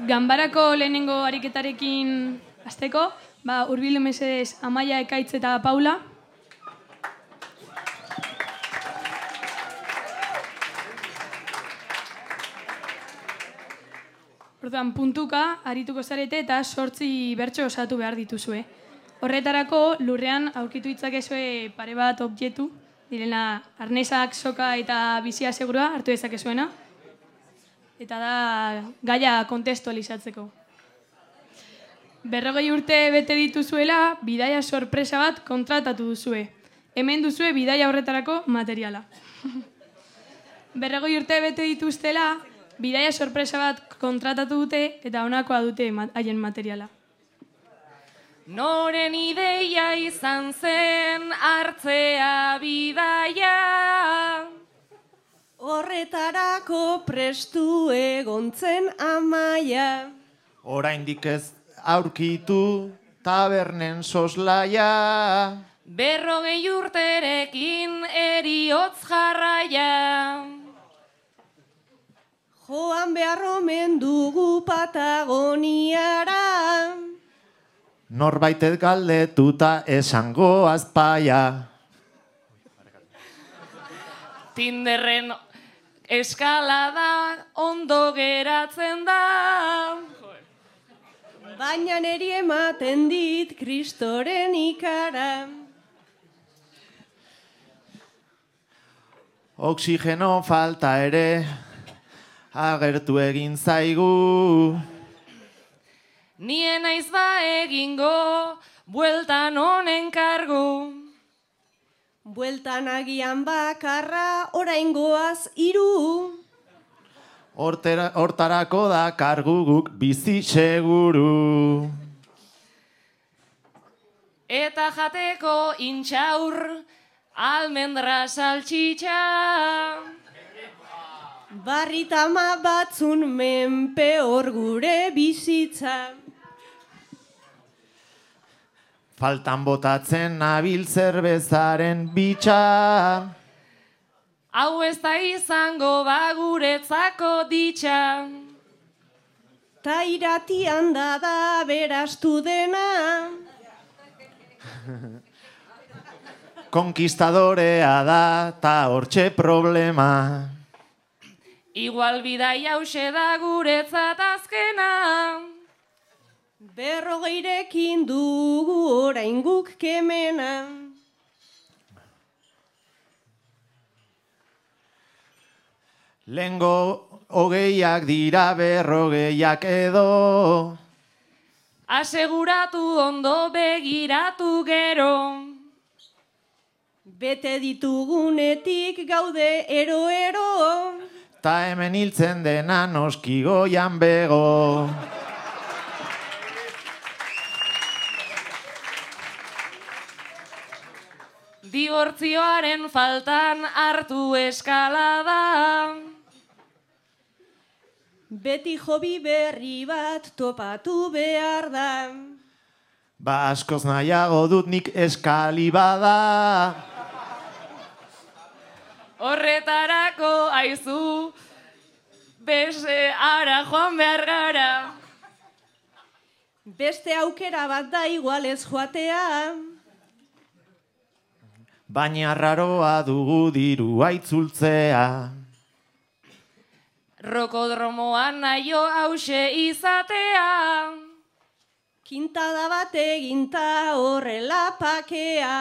Ganbarako lehenengo ariketarekin hasteko, hurbildu mesedez Amaia, Ekaitz eta Paula. Orduan, puntuka arituko zarete eta 8 bertso osatu behar dituzue. Horretarako, lurrean aurkitu ditzakezue pare bat objektu, direla arnesak, soka eta bizia segurua hartu dezakezuena. Eta da gaia kontestualizatzeko. 40 urte bete dituzuela, bidaia sorpresa bat kontratatu duzue. Hemen duzue bidaia horretarako materiala. 40 urte bete dituztela, bidaia sorpresa bat kontratatu dute eta honakoa dute haien materiala. Noren ideia izan zen hartzea bidaia, horretarako prestu egontzen Amaia. Oraindik ez aurkitu tabernen soslaia, 40 urterekin eriotz jarraia. Joan behar omen dugu Patagoniara, norbaitet galdetuta esango azpaia. Tinderren eskalada ondo geratzen da, baina neri ematen dit Kristoren ikara. Oxigeno falta ere agertu egin zaigu, nien naiz egingo bueltan honen kargu. Bueltan agian bakarra oraingoaz 3. Hortarako da kargu guk bizi seguru. Eta jateko intxaur almendra saltxitxa, barritama batzun menpe hor gure bizitza. Faltan botatzen nabil zerbezaren bitxa, hau ez da izango guretzako ditxa. Ta iratian da berastu dena, konkistadorea da ta hortxe problema. Igual bidai hause da guretzat azkena, 40rekin dugu orain guk kemena. Lengo 20ak dira 40ak edo, aseguratu ondo begiratu gero. Bete ditugunetik gaude ero-ero, ta hemen hiltzen dena noski goian bego. Dibortzioaren faltan hartu eskalada, beti hobi berri bat topatu behar da. Ba askoz nahiago dut nik eskalibada. horretarako aizu, beste ara joan behar gara. Beste aukera bat da igualez joatea, Baina raroa dugu dirua itzultzea. Rokodromoan naio hause izatea, kintada bat eginta horrela pakea.